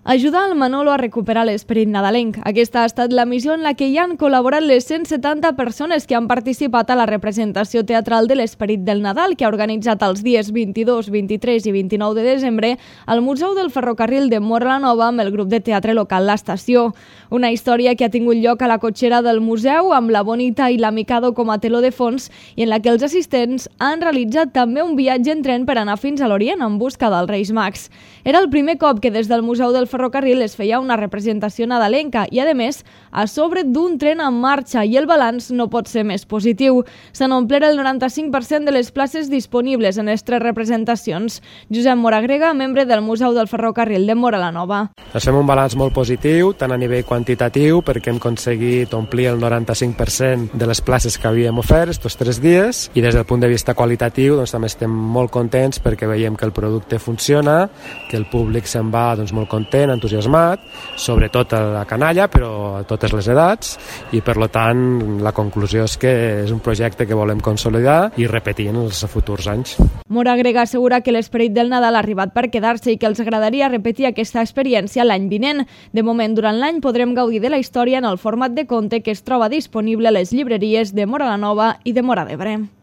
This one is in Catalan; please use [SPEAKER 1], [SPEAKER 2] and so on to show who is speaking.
[SPEAKER 1] Ajudar el Manolo a recuperar l'esperit nadalenc. Aquesta ha estat la missió en la que hi han col·laborat les 170 persones que han participat a la representació teatral de l'Esperit del Nadal que ha organitzat els dies 22, 23 i 29 de desembre al Museu del Ferrocarril de Móra la Nova amb el grup de teatre local L'Estació. Una història que ha tingut lloc a la cotxera del museu amb la Bonita i la Mikado com a teló de fons i en la que els assistents han realitzat també un viatge en tren per anar fins a l'Orient en busca dels Reis Mags. Era el primer cop que des del Museu del Ferrocarril es feia una representació nadalenca i, a més, a sobre d'un tren en marxa i el balanç no pot ser més positiu. Se n'omplera el 95% de les places disponibles en les 3 representacions. Josep Moragrega, membre del Museu del Ferrocarril de Móra la Nova.
[SPEAKER 2] Fem un balanç molt positiu, tant a nivell quantitatiu, perquè hem aconseguit omplir el 95% de les places que havíem ofert estos 3 dies, i des del punt de vista qualitatiu també estem molt contents perquè veiem que el producte funciona, que el públic se'n va molt content, entusiasmat, sobretot a la canalla, però a totes les edats, i per tant la conclusió és que és un projecte que volem consolidar i repetir en els futurs anys.
[SPEAKER 1] Moragrega assegura que l'esperit del Nadal ha arribat per quedar-se i que els agradaria repetir aquesta experiència l'any vinent. De moment, durant l'any podrem gaudir de la història en el format de conte que es troba disponible a les llibreries de Móra la Nova i de Móra d'Ebre.